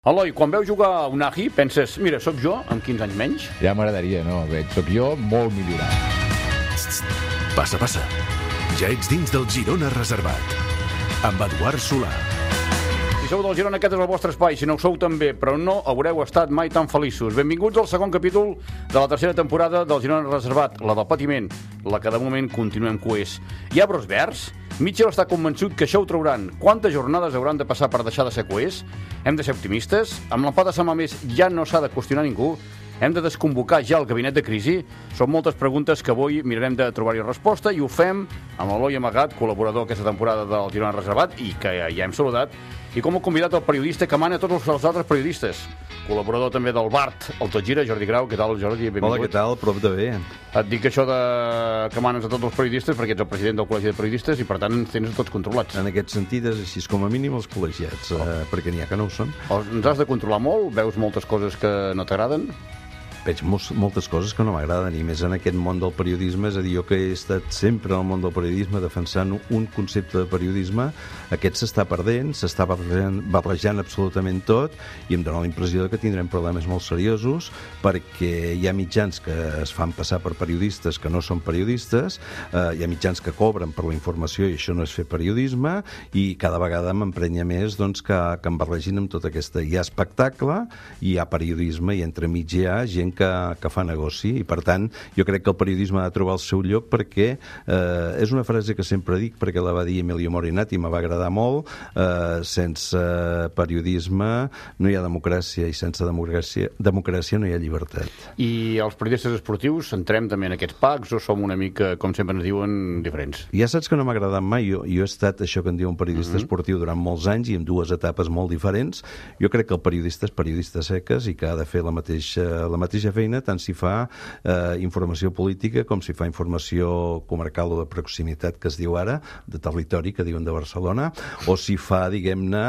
Eloi, quan veus jugar a Unai, penses, mira, sóc jo, amb 15 anys menys? Ja m'agradaria, no? Sóc jo molt millorat. Passa, passa. Ja ets dins del Girona Reservat. Amb Eduard Solà. Si sou del Girona, aquest és el vostre espai. Si no ho sou també, però no haureu estat mai tan feliços. Benvinguts al segon capítol de la tercera temporada del Girona Reservat, la del patiment, la que de moment continuem coers. Hi ha brots verds? Mitchell està convençut que això ho trauran. Quantes jornades hauran de passar per deixar de ser coers? Hem de ser optimistes? Amb l'empat de Sant Mamés ja no s'ha de qüestionar ningú? Hem de desconvocar ja el gabinet de crisi? Són moltes preguntes que avui mirarem de trobar-hi resposta i ho fem amb l'Eloi Amagat, col·laborador aquesta temporada del Girona Reservat i que ja hem saludat, i com a convidat el periodista que mana tots els altres periodistes. Col·laborador també del Bart, el Tot Gira, Jordi Grau. Què tal, Jordi? Benvingut. Hola, què tal? Prop de bé. Et dic això de que manes a tots els periodistes perquè ets el president del Col·legi de Periodistes i per tant ens tens tots controlats. En aquest sentit és així com a mínim els col·legiats, perquè n'hi ha que no ho són. Ens has de controlar molt? Veus moltes coses que no t'agraden? Veig moltes coses que no m'agraden, i més en aquest món del periodisme. És a dir, jo que he estat sempre al món del periodisme defensant un concepte de periodisme, aquest s'està perdent, s'està barrejant absolutament tot, i em dóna la impressió que tindrem problemes molt seriosos, perquè hi ha mitjans que es fan passar per periodistes que no són periodistes, hi ha mitjans que cobren per la informació i això no és fer periodisme, i cada vegada m'emprenya més doncs, que em barregin amb tota aquesta... Hi ha espectacle, hi ha periodisme, i entremig hi ha gent que fa negoci, i per tant jo crec que el periodisme ha de trobar el seu lloc, perquè és una frase que sempre dic perquè la va dir Emilio Morinati i me va agradar molt, sense periodisme no hi ha democràcia, i sense democràcia no hi ha llibertat. I els periodistes esportius entrem també en aquests packs o som una mica, com sempre ens diuen, diferents? Ja saps que no m'ha agradat mai. Jo he estat això que en diu un periodista esportiu durant molts anys i en dues etapes molt diferents. Jo crec que el periodista és periodista seques i que ha de fer la mateixa feina, tant si fa informació política com si fa informació comarcal o de proximitat, que es diu ara, de territori, que diuen de Barcelona, o si fa, diguem-ne,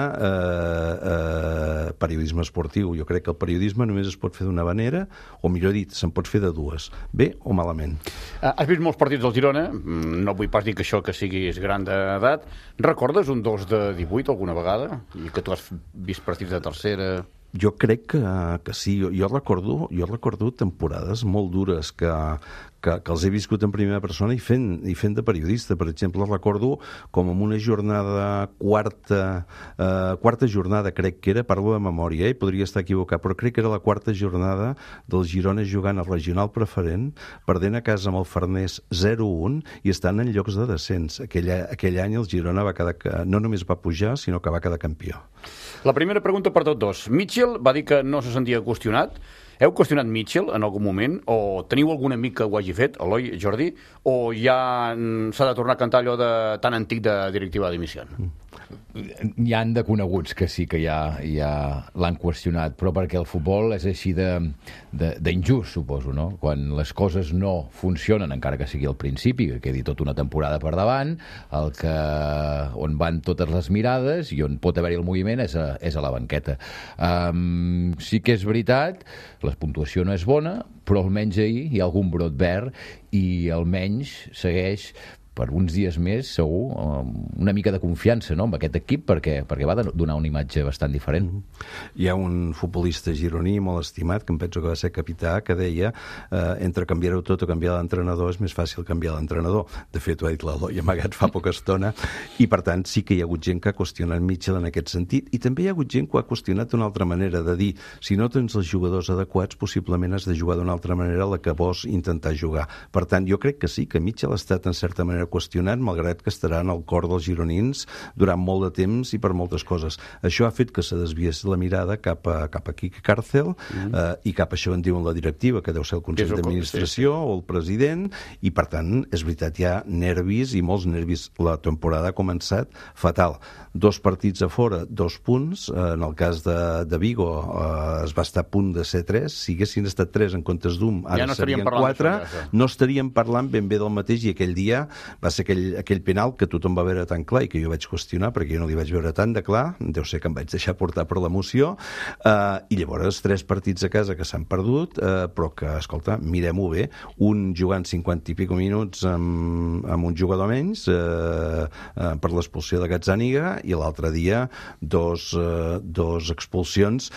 periodisme esportiu. Jo crec que el periodisme només es pot fer d'una manera, o millor dit, se'n pot fer de dues, bé o malament. Has vist molts partits del Girona, no vull pas dir que això que siguis gran d'edat. Recordes un 2 de 18 alguna vegada? I que tu has vist partits de tercera... Jo crec que sí. Jo recordo temporades molt dures que els he viscut en primera persona i fent de periodista. Per exemple, recordo com en una jornada quarta jornada, crec que era, parlo de memòria, podria estar equivocat, però crec que era la quarta jornada del Girona jugant al regional preferent, perdent a casa amb el Farners 0-1 i estant en llocs de descens. Aquell any el Girona va quedar, no només va pujar, sinó que va quedar campió. La primera pregunta per tots dos. Mitchell va dir que no se sentia qüestionat. Heu qüestionat Mitchell en algun moment? O teniu algun amic que ho hagi fet, Eloi, Jordi? O ja s'ha de tornar a cantar allò de tan antic de directiva de dimissió? Hi han de coneguts que sí que ja l'han qüestionat, però perquè el futbol és així d'injust, suposo, no? Quan les coses no funcionen, encara que sigui al principi, que quedi tota una temporada per davant, on van totes les mirades i on pot haver-hi el moviment és a la banqueta. Sí que és veritat, la puntuació no és bona, però almenys ahir hi ha algun brot verd i almenys segueix per uns dies més, segur, una mica de confiança, no?, amb aquest equip, perquè va donar una imatge bastant diferent. Hi ha un futbolista gironí molt estimat, que em penso que va ser capità, que deia entre canviar-ho tot o canviar l'entrenador és més fàcil canviar l'entrenador. De fet, ho ha dit l'Eloi Amagat fa poca estona, i per tant sí que hi ha hagut gent que ha qüestionat Mitchell en aquest sentit, i també hi ha hagut gent que ho ha qüestionat d'una altra manera, de dir, si no tens els jugadors adequats, possiblement has de jugar d'una altra manera la que vols intentar jugar. Per tant, jo crec que sí, que Mitchell ha estat en certa manera qüestionat, malgrat que estarà en el cor dels gironins durant molt de temps i per moltes coses. Això ha fet que se desviés la mirada cap a Quique Cárcel i cap a això en diuen la directiva, que deu ser el Consell d'Administració o el president, i per tant, és veritat, hi ha nervis i molts nervis. La temporada ha començat fatal. 2 partits a fora, 2 punts. En el cas de Vigo es va estar a punt de ser 3. Si haguessin estat 3 en comptes d'un, ara serien 4. No estaríem parlant ben bé del mateix, i aquell dia va ser aquell penal que tothom va veure tan clar i que jo vaig qüestionar perquè jo no li vaig veure tant de clar, deu ser que em vaig deixar portar per l'emoció, i llavors 3 partits a casa que s'han perdut, però que, escolta, mirem-ho bé, un jugant 50 i pico minuts amb un jugador menys per l'expulsió de Gazzaniga i l'altre dia dos expulsions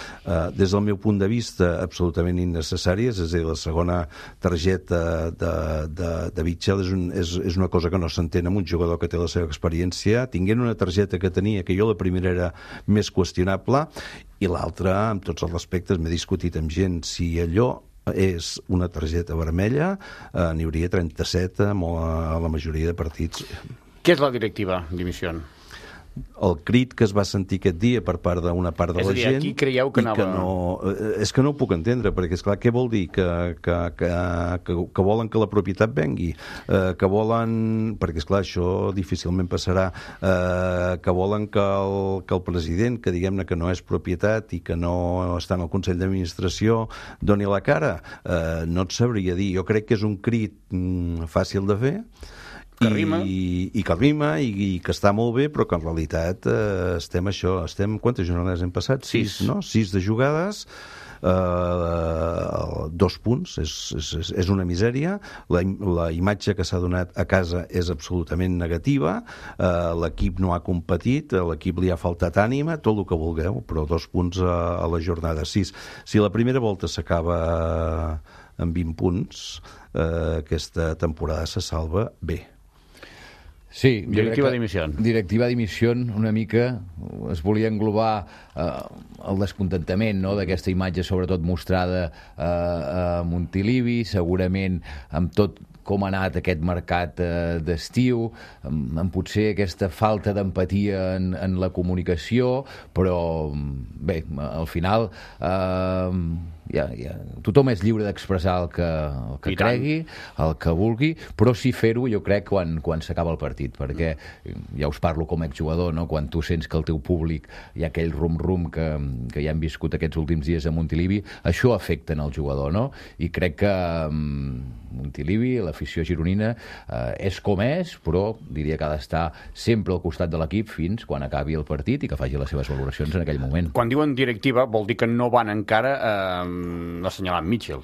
des del meu punt de vista absolutament innecessàries, és a dir, la segona targeta de Mitchell és una cosa que no s'entén amb un jugador que té la seva experiència, tinguent una targeta que tenia, que jo la primera era més qüestionable, i l'altra, amb tots els respectes, m'he discutit amb gent si allò és una targeta vermella, n'hi hauria 37 a la majoria de partits. Què és la directiva dimissió? El crit que es va sentir aquest dia per part d'una part de la gent... És a dir, aquí creieu que anava... És que no ho puc entendre, perquè, esclar, què vol dir? Que volen que la propietat vengui? Que volen... Perquè, esclar, això difícilment passarà. Que volen que el president, que diguem-ne que no és propietat i que no està en el Consell d'Administració, doni la cara? No et sabria dir. Jo crec que és un crit fàcil de fer, que rima i que està molt bé, però que en realitat estem quantes jornades hem passat? 6, no? 6 de jugades, 2 punts, és una misèria. La imatge que s'ha donat a casa és absolutament negativa, l'equip no ha competit, a l'equip li ha faltat ànima, tot el que vulgueu, però 2 punts a la jornada 6. Si la primera volta s'acaba amb 20 punts, aquesta temporada se salva bé. Sí, directiva dimissió. Directiva dimissió, una mica es volia englobar el descontentament, no?, d'aquesta imatge, sobretot mostrada a Montilivi, segurament amb tot com ha anat aquest mercat d'estiu, amb potser aquesta falta d'empatia en la comunicació, però bé, al final tothom és lliure d'expressar el que cregui, el que vulgui, però sí fer-ho, jo crec, quan s'acaba el partit, perquè ja us parlo com a exjugador, no?, quan tu sents que el teu públic hi ha aquell rum-rum que ja hem viscut aquests últims dies a Montilivi, això afecta en el jugador, no? I crec que Montilivi, l'afició gironina, és com és, però diria que ha d'estar sempre al costat de l'equip fins quan acabi el partit i que faci les seves valoracions en aquell moment. Quan diuen directiva vol dir que no van encara assenyalant Mitchell.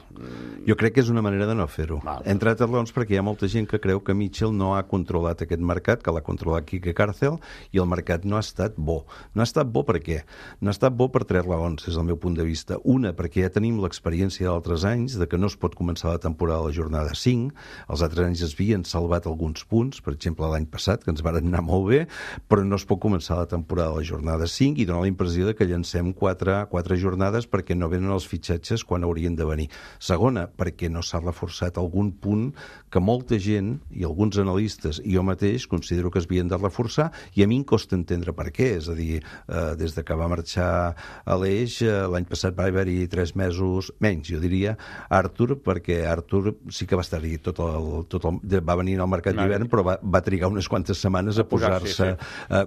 Jo crec que és una manera de no fer-ho. Entre altres raons perquè hi ha molta gent que creu que Mitchell no ha controlat aquest mercat, que l'ha controlat Quique Cárcel, i el mercat no ha estat bo. No ha estat bo per què? No ha estat bo per 3 raons, des del meu punt de vista. Una, perquè ja tenim l'experiència d'altres anys de que no es pot començar la temporada a la jornada 5. Els altres anys es havien salvat alguns punts, per exemple l'any passat, que ens van anar molt bé, però no es pot començar la temporada a la jornada 5 i dona la impressió de que llancem 4 jornades perquè no venen els fitxatges quan haurien de venir. Segona, perquè no s'ha reforçat algun punt que molta gent i alguns analistes i jo mateix considero que es havien de reforçar, i a mi em costa entendre per què. És a dir, des de que va marxar Aleix, l'any passat va haver-hi 3 mesos menys, jo diria, Artur, perquè Artur sí que va estar-hi va venir al mercat d'hivern, però va trigar unes quantes setmanes a posar-se.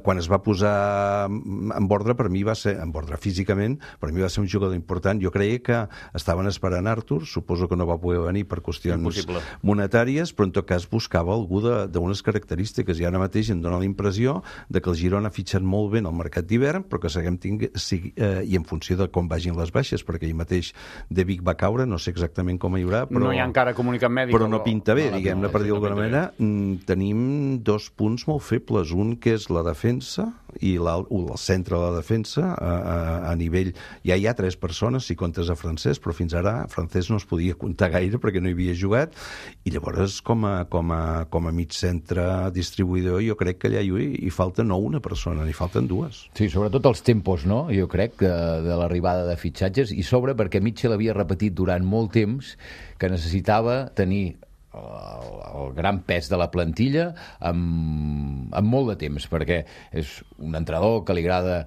Quan es va posar en ordre, per mi va ser, en ordre físicament, per mi va ser un jugador important. Jo creia que estaven esperant Artur, suposo que no va poder venir per qüestions monetàries, però en tot cas buscava algú d'unes característiques, i ara mateix em dona la impressió de que el Girona ha fitxat molt bé en el mercat d'hivern, però que seguim i en funció de com vagin les baixes, perquè ahir mateix De Vic va caure, no sé exactament com hi haurà, però no hi ha encara comunicat mèdic, però no pinta bé, diguem-ne, per dir-ho d'alguna manera. Tenim 2 punts molt febles, un que és la defensa i el centre de la defensa a nivell, ja hi ha 3 persones si comptes a Francesc, però fins ara Francesc no es podia comptar gaire perquè no hi havia jugat, i llavors com a mig centre distribuïdor jo crec que allà hi falta no una persona, n'hi falten 2. Sí, sobretot els tempos, no?, jo crec, de l'arribada de fitxatges, i sobre perquè Mitchell havia repetit durant molt temps que necessitava tenir el gran pes de la plantilla amb molt de temps, perquè és un entrenador que li agrada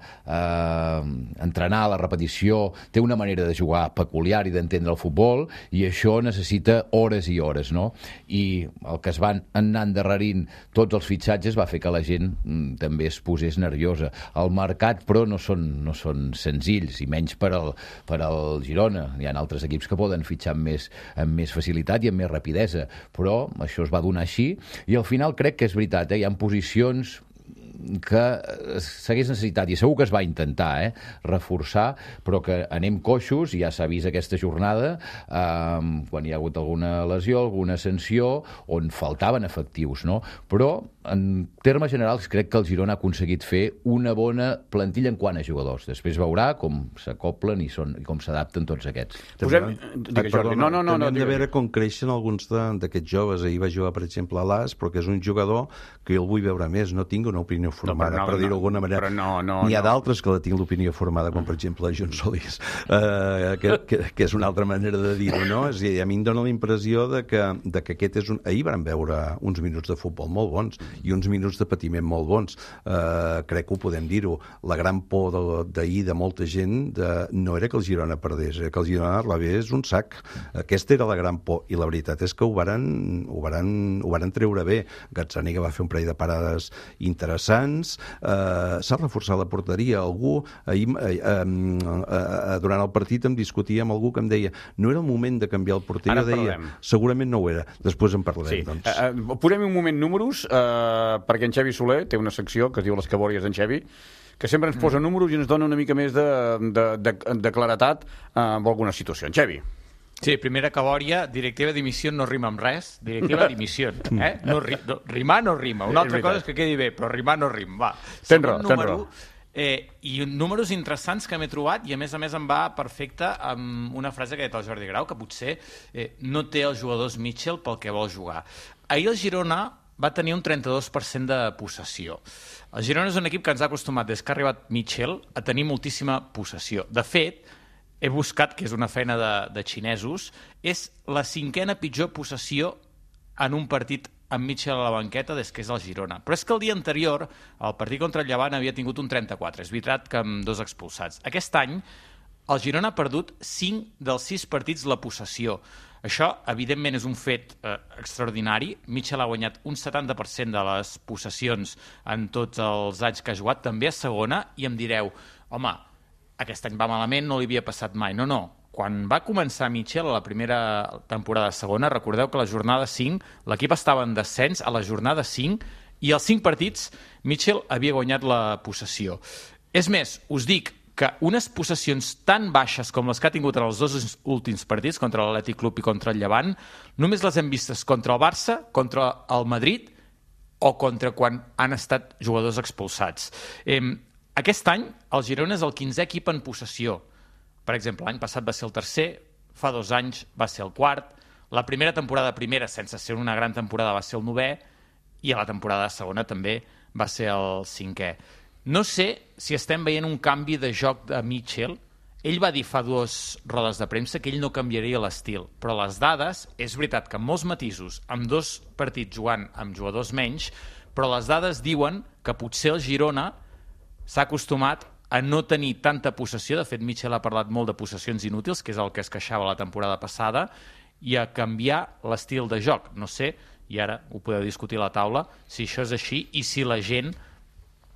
entrenar la repetició, té una manera de jugar peculiar i d'entendre el futbol, i això necessita hores i hores, no? I el que es van anar endarrerint tots els fitxatges va fer que la gent també es posés nerviosa. El mercat, però, no són senzills, i menys per al Girona. Hi ha altres equips que poden fitxar amb més facilitat i amb més rapidesa. però això es va donar així, i al final crec que és veritat, hi ha posicions que s'hagués necessitat, i segur que es va intentar reforçar, però que anem coixos, i ja s'ha vist aquesta jornada, quan hi ha hagut alguna lesió, alguna sanció, on faltaven efectius, no? Però, en termes generals, crec que el Girona ha aconseguit fer una bona plantilla en quant a jugadors. Després veurà com s'acoplen i com s'adapten tots aquests. Digues, Jordi. No, hem de veure com creixen alguns d'aquests joves. Ahir va jugar, per exemple, a l'As, però que és un jugador que jo el vull veure més. No tinc una opinió formada, per dir-ho d'alguna manera. N'hi ha d'altres que la tinc l'opinió formada, com per exemple John Solís, que és una altra manera de dir-ho, no? És a dir, a mi em dóna la impressió de que aquest és un... Ahir vam veure uns minuts de futbol molt bons i uns minuts de patiment molt bons. Crec que ho podem dir-ho. La gran por d'ahir de molta gent no era que el Girona perdés, era que el Girona rebés un sac. Aquesta era la gran por, i la veritat és que ho varen treure bé. Gazzaniga va fer un parell de parades interessants, s'ha reforçat la porteria. Algú, durant el partit em discutia amb algú que em deia no era el moment de canviar el porter. Jo deia, segurament no ho era. Després en parlarem, doncs. Posem un moment números, perquè en Xavi Soler té una secció que es diu Les Cabòries d'en Xavi, que sempre ens posa números i ens dona una mica més de claretat en alguna situació. En Xavi. Sí, primera cabòria, directiva dimissió no rima amb res, directiva dimissió. Rimar no rima. Una altra cosa és que quedi bé, però rimar no rima. Tens raó. I números interessants que m'he trobat, i a més em va perfecte amb una frase que ha dit el Jordi Grau, que potser no té els jugadors Mitchell pel que vol jugar. Ahir el Girona va tenir un 32% de possessió. El Girona és un equip que ens ha acostumat, des que ha arribat Mitchell, a tenir moltíssima possessió. De fet, he buscat, que és una feina de xinesos, és la 5a pitjor possessió en un partit amb Mitchell a la banqueta des que és el Girona. Però és que el dia anterior, el partit contra el Llevant havia tingut un 34. És veritat que amb 2 expulsats. Aquest any, el Girona ha perdut 5 dels 6 partits la possessió. Això, evidentment, és un fet extraordinari. Mitchell ha guanyat un 70% de les possessions en tots els anys que ha jugat, també a segona, i em direu, home, aquest any va malament, no li havia passat mai. No. Quan va començar Mitchell a la primera temporada de segona, recordeu que a la jornada 5 l'equip estava en descens a la jornada 5 i als 5 partits Mitchell havia guanyat la possessió. És més, us dic que unes possessions tan baixes com les que ha tingut en els 2 últims partits, contra l'Atlètic Club i contra el Llevant, només les hem vistes contra el Barça, contra el Madrid o contra quan han estat jugadors expulsats. Aquest any el Girona és el 15è equip en possessió. Per exemple, l'any passat va ser el 3è, fa 2 anys va ser el 4º, la primera temporada primera, sense ser una gran temporada, va ser el 9è, i a la temporada segona també va ser el 5è. No sé si estem veient un canvi de joc de Mitchell. Ell va dir fa 2 rodes de premsa que ell no canviaria l'estil, però les dades, és veritat que amb molts matisos, amb 2 partits jugant amb jugadors menys, però les dades diuen que potser el Girona s'ha acostumat a no tenir tanta possessió. De fet, Mitchell ha parlat molt de possessions inútils, que és el que es queixava la temporada passada, i a canviar l'estil de joc. No sé, i ara ho podeu discutir a la taula, si això és així i si la gent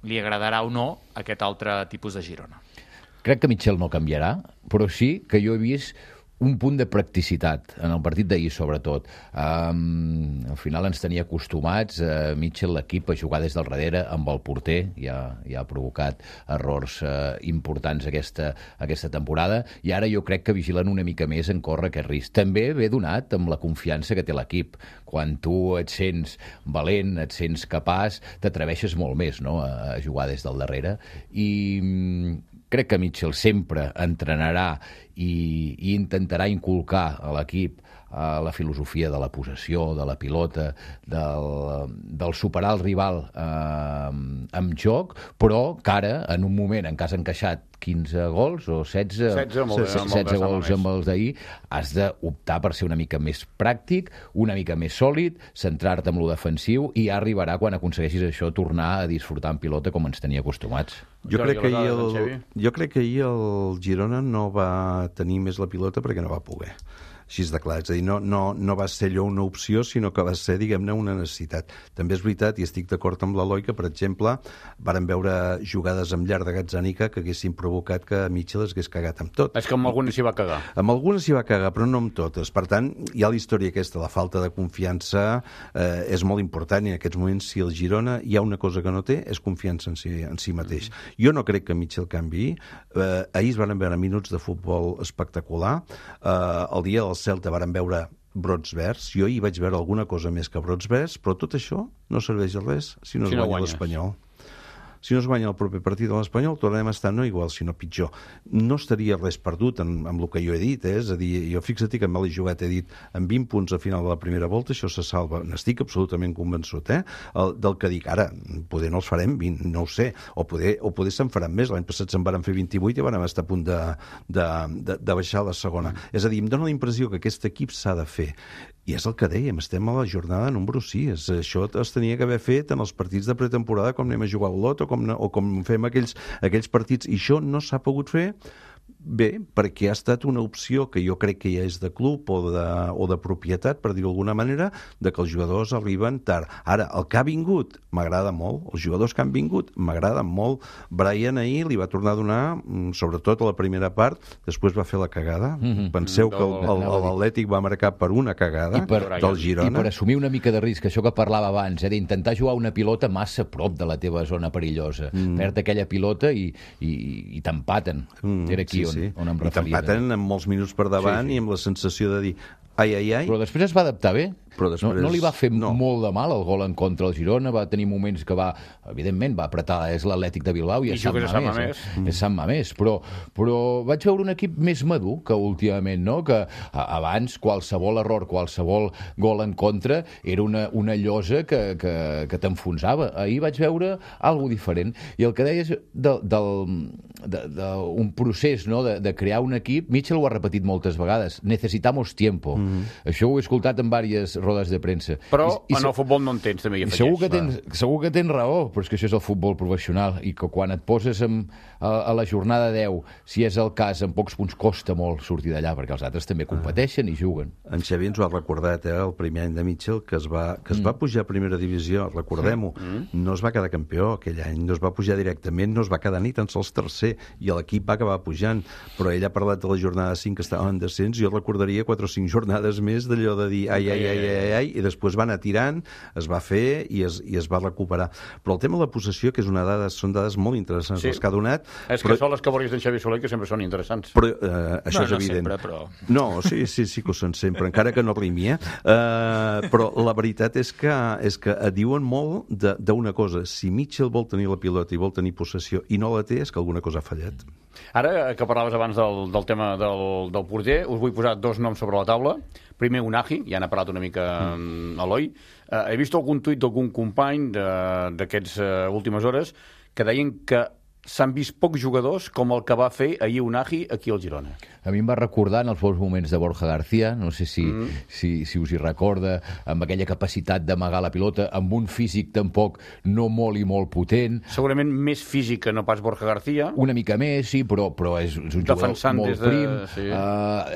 li agradarà o no aquest altre tipus de Girona. Crec que Mitchell no canviarà, però sí que jo he vist un punt de practicitat en el partit d'ahir, sobretot. Al final ens tenia acostumats Mitchell, l'equip, a jugar des del darrere amb el porter. Ja ha provocat errors importants aquesta temporada, i ara jo crec que vigilen una mica més en córrer aquest risc. També ve donat amb la confiança que té l'equip. Quan tu et sents valent, et sents capaç, t'atreveixes molt més, no?, a jugar des del darrere. I crec que Mitchell sempre entrenarà i intentarà inculcar a l'equip la filosofia de la possessió, de la pilota, del superar el rival amb joc, però que ara, en un moment en què has encaixat 15 gols o 16 gols amb els d'ahir, has d'optar per ser una mica més pràctic, una mica més sòlid, centrar-te en lo defensiu, i ja arribarà, quan aconsegueixis això, tornar a disfrutar en pilota com ens tenia acostumats. Jo crec que ahir el Girona no va tenir més la pilota perquè no va poder. així de clar. És a dir, no va ser allò una opció, sinó que va ser, diguem-ne, una necessitat. També és veritat, i estic d'acord amb l'Eloi, que, per exemple, varen veure jugades amb llar de Gazzaniga que haguessin provocat que Mitchell es hagués cagat amb tot. És que amb algunes s'hi va cagar. Amb algunes s'hi va cagar, però no amb totes. Per tant, hi ha la història aquesta, la falta de confiança és molt important, i en aquests moments, si el Girona hi ha una cosa que no té, és confiança en si mateix. Jo no crec que Mitchell canviï. Ahir es van veure minuts de futbol espectacular. El dia del Celta varen veure brots verds. Jo hi vaig veure alguna cosa més que brots verds, però tot això no serveix de res si no es guanya l'Espanyol. Si no es guanya el proper partit de l'Espanyol, tornarem a estar no igual, sinó pitjor. No estaria res perdut amb el que jo he dit, és a dir, jo fixa't que amb l'he jugat, he dit, amb 20 punts a final de la primera volta, això se salva. N'estic absolutament convençut, del que dic. Ara, poder no els farem 20, no ho sé, o poder se'n faran més. L'any passat se'n van fer 28 i van estar a punt de baixar a la segona. És a dir, em dóna la impressió que aquest equip s'ha de fer. I és el que dèiem, estem a la jornada número 6. Això es tenia que haver fet en els partits de pretemporada, com anem a jugar al lot, o com fem aquells partits, i això no s'ha pogut fer. Bé, perquè ha estat una opció que jo crec que ja és de club o de propietat, per dir-ho d'alguna manera, de que els jugadors arriben tard. Ara, el que ha vingut m'agrada molt, els jugadors que han vingut m'agraden molt. Brian ahir li va tornar a donar, sobretot a la primera part, després va fer la cagada. Penseu que l'Atlètic va marcar per una cagada del Girona. I per assumir una mica de risc, això que parlava abans, d'intentar jugar una pilota massa prop de la teva zona perillosa. Perd aquella pilota i t'empaten. Era aquí on em referia. I t'empaten amb molts minuts per davant i amb la sensació de dir ai. Però després es va adaptar bé. No li va fer molt de mal el gol en contra del Girona, va tenir moments que evidentment va apretar, és l'Atlètic de Bilbao i és Sant Mamés, però vaig veure un equip més madur que últimament, no? Que abans qualsevol error, qualsevol gol en contra era una llosa que t'enfonsava. Ahir vaig veure alguna diferent, i el que deies d'un procés, no? De crear un equip, Mitchell ho ha repetit moltes vegades, necesitamos tiempo. Això ho he escoltat en diverses rodes de premsa. Però en el futbol no en tens, també hi afegeix. Segur que tens raó, però és que això és el futbol professional, i que quan et poses a la jornada 10, si és el cas, en pocs punts costa molt sortir d'allà, perquè els altres també competeixen i juguen. En Xavi ens ho ha recordat, el primer any de Mitchell, que es va pujar a primera divisió, recordem-ho, no es va quedar campió aquell any, no es va pujar directament, no es va quedar ni tan sols tercer, i l'equip va acabar pujant, però ell ha parlat de la jornada 5 que estava en descens, jo recordaria 4 o 5 jornades més d'allò de dir ai, i després va anar tirant, es va fer i es va recuperar. Però el tema de la possessió, que és una dada, són dades molt interessants les que ha donat. És que són les categories d'en Xavi Soler, que sempre són interessants. Però això és evident. No sempre, però... No, sí que ho són sempre, encara que no rimi, però la veritat és que et diuen molt d'una cosa. Si Mitchell vol tenir la pilota i vol tenir possessió i no la té, és que alguna cosa ha fallat. Ara, que parlaves abans del tema del porter, us vull posar 2 noms sobre la taula. Primer, Unai, ja n'ha parlat una mica Eloi. He vist algun tuit d'algun company d'aquests últimes hores que deien que s'han vist pocs jugadors com el que va fer ahir Unai aquí al Girona. A mi em va recordar en els bons moments de Borja García, no sé si us hi recorda, amb aquella capacitat d'amagar la pilota, amb un físic tampoc no molt i molt potent. Segurament més físic que no pas Borja García. Una mica més, sí, però és un jugador molt prim.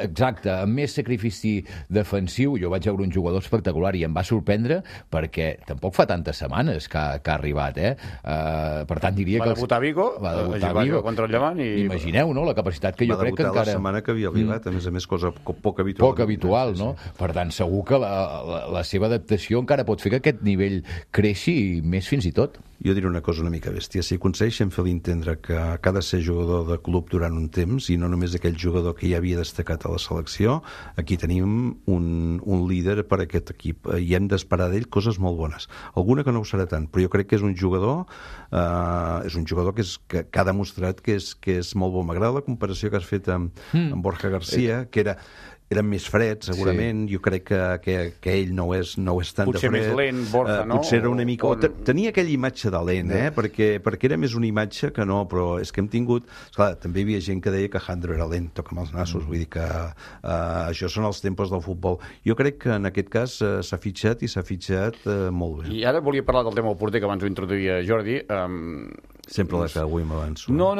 Exacte, amb més sacrifici defensiu. Jo vaig veure un jugador espectacular i em va sorprendre perquè tampoc fa tantes setmanes que ha arribat. Per tant, diria que... Va debutar a Vigo, contra el Llevant. Imagineu, no?, la capacitat que jo crec que encara... Va debutar la setmana que havia arribat, a més cosa poc habitual. Poc habitual, no? Per tant, segur que la seva adaptació encara pot fer que aquest nivell creixi més fins i tot. Jo diré una cosa una mica bèstia. Si aconsegueixen fer l'entendre que ha de ser jugador de club durant un temps i no només aquell jugador que ja havia destacat a la selecció, aquí tenim un líder per a aquest equip i hem d'esperar d'ell coses molt bones. Alguna que no ho serà tant, però jo crec que és un jugador que ha demostrat que és molt bo. M'agrada la comparació que has fet amb Borja García, que eren més freds, segurament. Jo crec que ell no és tant potser de fred. Potser més lent, Borja, no? Potser era una mica... Tenia aquella imatge de lent, perquè era més una imatge que no, però és que hem tingut... Esclar, també hi havia gent que deia que Jandro era lent, toca amb els nassos, vull dir que això són els tempos del futbol. Jo crec que en aquest cas s'ha fitxat i s'ha fitxat molt bé. I ara volia parlar del tema del porter, que abans ho introduïa Jordi. Sempre la que avui m'avanço. No.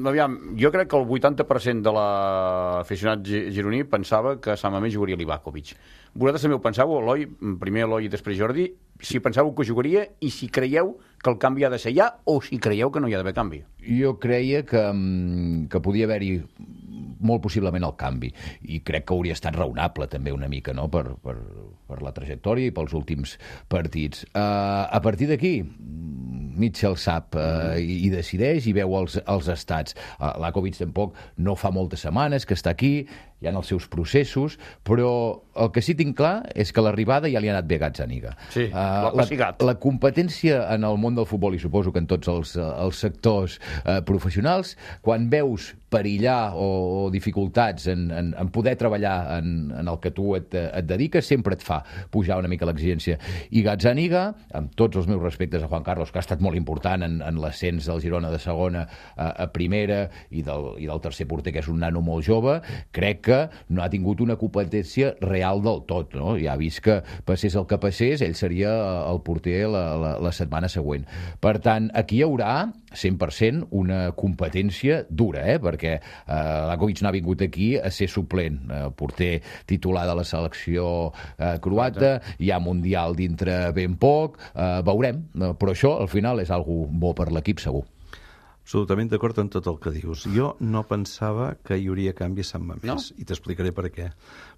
Aviam, jo crec que el 80% de l'aficionat gironí mi pensava que a Sant Mamés jugaria Livakovic. Vosaltres també ho pensàveu, Eloi, primer Eloi i després Jordi, si pensàveu que jugaria i si creieu que el canvi ha de ser ja o si creieu que no hi ha d'haver canvi. Jo creia que podia haver-hi molt possiblement el canvi, i crec que hauria estat raonable també una mica, no?, per la trajectòria i pels últims partits. A partir d'aquí, Mitchell sap i decideix i veu els estats. Lakovic tampoc no fa moltes setmanes que està aquí, hi ha els seus processos, però el que sí tinc clar és que l'arribada ja li ha anat bé a Gazzaniga. Sí, l'ha passigat. La competència en el món del futbol, i suposo que en tots els sectors professionals, quan veus perillar o dificultats en poder treballar en el que tu et dediques, sempre et fa pujar una mica l'exigència. I Gazzaniga, amb tots els meus respectes a Juan Carlos, que ha estat molt important en l'ascens del Girona de segona a primera i del tercer porter, que és un nano molt jove, crec que no ha tingut una competència real del tot, no? Ja ha vist que passés el que passés, ell seria el porter la setmana següent. Per tant, aquí hi haurà 100% una competència dura, perquè Lakovic no ha vingut aquí a ser suplent, porter titular de la selecció croata, hi ha Mundial dintre ben poc, veurem, però això al final és algo bo per l'equip segur. Absolutament d'acord amb tot el que dius. Jo no pensava que hi hauria canvi a Sant Mamés, i t'explicaré per què.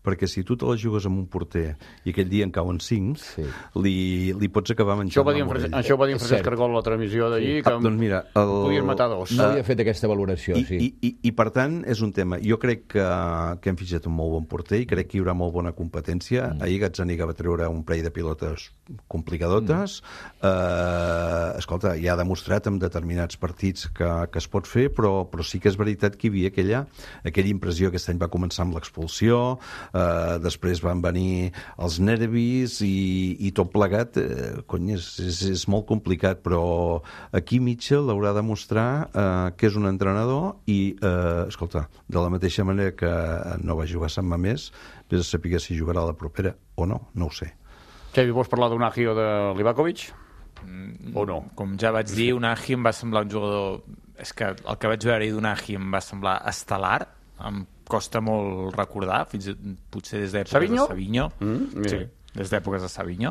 Perquè si tu te la jugues amb un porter i aquell dia en cauen 5, li pots acabar menjant la morella. Això ho va dir en Francesc Cargol a la transmissió d'allí, que doncs mira, podies matar dos. No havia fet aquesta valoració, sí. I per tant, és un tema. Jo crec que hem fitxat un molt bon porter i crec que hi haurà molt bona competència. Ahir Gazzaniga va treure un parell de pilotes complicadotes. Escolta, ja ha demostrat en determinats partits que es pot fer, però sí que és veritat que hi havia aquella impressió. Aquest any va començar amb l'expulsió, després van venir els nervis i tot plegat, és molt complicat, però aquí Mitchell haurà de mostrar que és un entrenador i, escolta, de la mateixa manera que no va jugar a Sant Mamés, vés a saber si jugarà a la propera o no ho sé. Xavi, vols parlar d'Unagi o de Livakovic? O no? Com ja vaig dir, Unagi em va semblar un jugador... És que el que vaig veure d'Unagi em va semblar estel·lar, em costa molt recordar, potser des d'èpoques de Savinho. Sí, des d'èpoques de Savinho.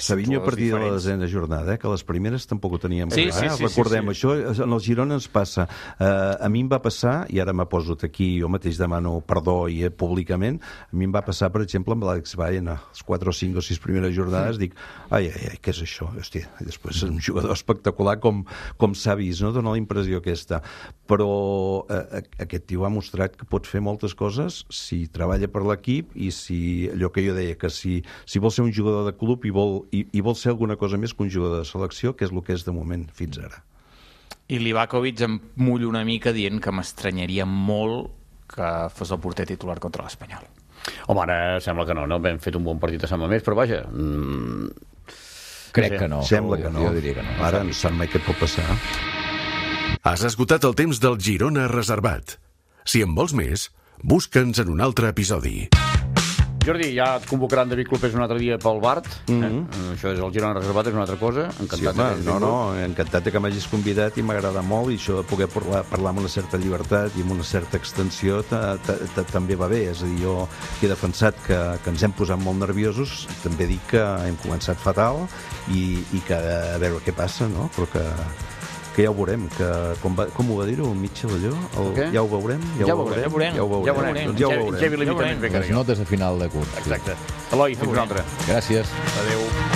Savinho a partir de la desena jornada, que les primeres tampoc ho teníem clar. Recordem, això en el Girona ens passa. A mi em va passar, i ara m'ha posat aquí, jo mateix demano perdó i públicament, a mi em va passar, per exemple, amb l'Àlex Baena, les 4 o 5 o 6 primeres jornades, dic, ai, què és això? Hòstia, i després és un jugador espectacular com s'ha vist, no? Dóna la impressió aquesta. Però aquest tio ha mostrat que pot fer moltes coses si treballa per l'equip i si, allò que jo deia, que si vol ser un jugador de club i vol ser alguna cosa més que un jugador de selecció, que és el que és de moment fins ara. I Livakovic em mullo una mica dient que m'estranyaria molt que fos el porter titular contra l'Espanyol. Home, ara sembla que no? Hem fet un bon partit a Sant Mamés, però vaja... Crec que no. Sembla que no. Jo diria que no. Ara no sap mai què pot passar. Has esgotat el temps del Girona reservat. Si en vols més, busca'ns en un altre episodi. Jordi, ja et convocaran David Clopés un altre dia pel Bart. Això és el Girona reservat, és una altra cosa. Encantat. Encantat que m'hagis convidat i m'agrada molt, i això de poder parlar amb una certa llibertat i amb una certa extensió també va bé. És a dir, jo he defensat que ens hem posat molt nerviosos, també dic que hem començat fatal i que a veure què passa, no? Però que ja ho veurem, com ho va dir-ho Mitchell allò? Ja ho veurem? Ja ho veurem. Les notes a final de curs. Exacte. Eloi, fins una altra. Gràcies. Adéu.